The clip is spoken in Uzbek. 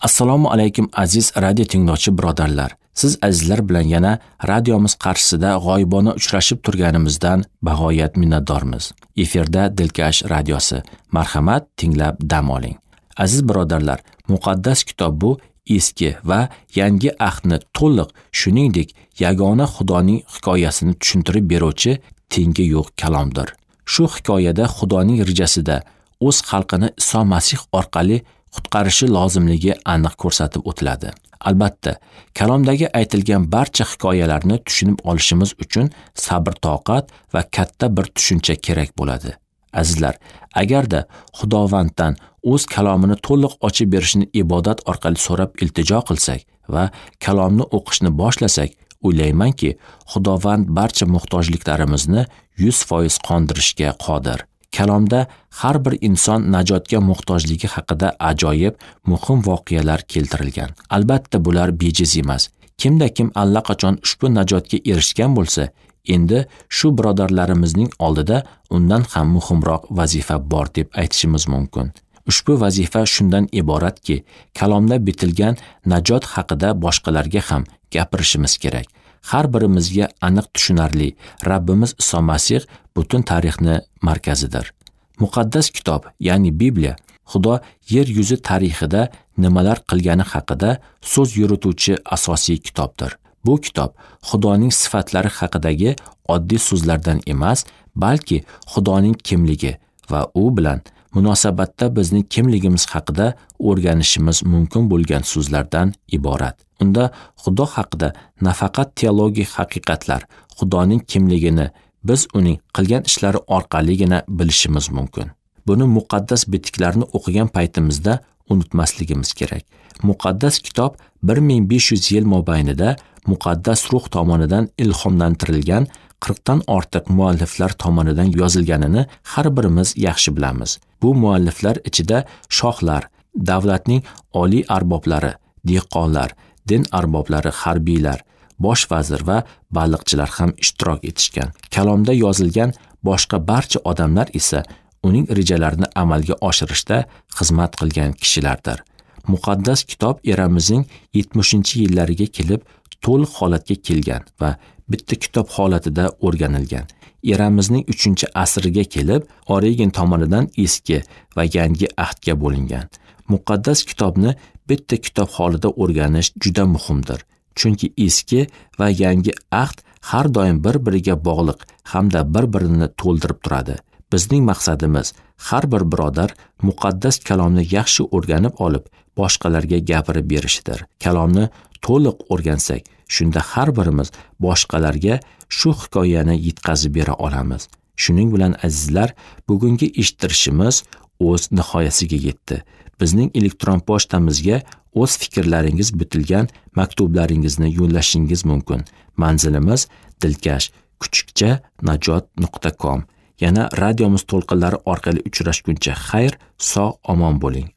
Assalomu alaykum aziz radio tinglovchi birodarlar. Siz azizlar bilan yana radiomiz qarshisida g'oyibona uchrashib turganimizdan bag'oyat minnatdormiz. Efirda Dilkash radiosi. Marhamat, tinglab dam oling. Aziz birodarlar, muqaddas kitob bu eski va yangi ahdni to'liq, shuningdek, yagona Xudoning hikoyasini tushuntirib beruvchi tengi yo'q kalomdir. Shu hikoyada Xudoning rejasida o'z xalqini Iso Masih orqali qutqarishi lozimligi aniq ko'rsatib o'tiladi. Albatta, kalomdagi aytilgan barcha hikoyalarni tushunib olishimiz uchun sabr-toqat va katta bir tushuncha kerak bo'ladi. Azizlar, agarda Xudovanddan o'z kalomini to'liq ochib berishini ibodat orqali so'rab iltijo qilsak va kalomni o'qishni boshlasak, o'ylaymanki, Xudovand barcha muhtojliklarimizni 100% qondirishga qodir. Kalomda har bir inson najotga muhtojligi haqida ajoyib, muhim voqealar keltirilgan. Albatta, bular bejiz emas. Kimda kim allaqachon ushbu najotga erishgan bo'lsa, endi shu birodarlarimizning oldida undan ham muhimroq vazifa bor deb aytishimiz mumkin. Ushbu vazifa shundan iboratki, kalomda bitilgan najot haqida boshqalarga ham gapirishimiz kerak. Har birimizga aniq tushunarli Rabbimiz Iso Masih butun tarixni markazidir. Muqaddas kitob, ya'ni Bibliya, Xudo yer yuzi tarixida nimalar qilgani haqida so'z yurituvchi asosiy kitobdir. Bu kitob Xudoning sifatlari haqidagi oddiy so'zlardan emas, balki Xudoning kimligi va u bilan munosabatda bizning kimligimiz haqida o'rganishimiz mumkin bo'lgan so'zlardan iborat. Unda Xudo haqida nafaqat teologik haqiqatlar, Xudoning kimligini biz uning qilgan ishlari orqaligina bilishimiz mumkin. Buni muqaddas bitiklarni o'qigan paytimizda unutmasligimiz kerak. Muqaddas kitob 1500 yil mobaynida muqaddas ruh tomonidan ilhomlantirilgan 40 dan ortiq mualliflar tomonidan yozilganini har birimiz yaxshi bilamiz. Bu mualliflar ichida shohlar, davlatning oliy arboblari, dehqonlar, din arboblari, harbiylar, bosh vazir va baliqchilar ham ishtirok etishgan. Kalomda yozilgan boshqa barcha odamlar esa uning rejalarini amalga oshirishda xizmat qilgan kishilardir. Muqaddas kitob eramizning 70-yillariga kelib to'liq holatga kelgan va bitta kitob holatida o'rganilgan. Eramizning 3-asriga kelib Origen tomonidan eski va yangi ahdga bo'lingan. Muqaddas kitobni bitta kitob holida o'rganish juda muhimdir. Chunki eski va yangi ahd har doim bir-biriga bog'liq hamda bir-birini to'ldirib turadi. Bizning maqsadimiz har bir birodar muqaddas kalomni yaxshi o'rganib olib, boshqalarga gapirib berishidir. Kalomni to'liq o'rgansak, shunda har birimiz boshqalarga shu hikoyani yetkazib bera olamiz. Shuning bilan azizlar, bugungi eshittirishimiz o'z nihoyasiga yetdi. Bizning elektron pochtamizga o'z fikrlaringiz bitilgan maktublaringizni yo'llashingiz mumkin. Manzilimiz dilkash@najot.com. Yana radiomiz to'lqinlari orqali uchrashguncha xayr, sog' omon bo'ling.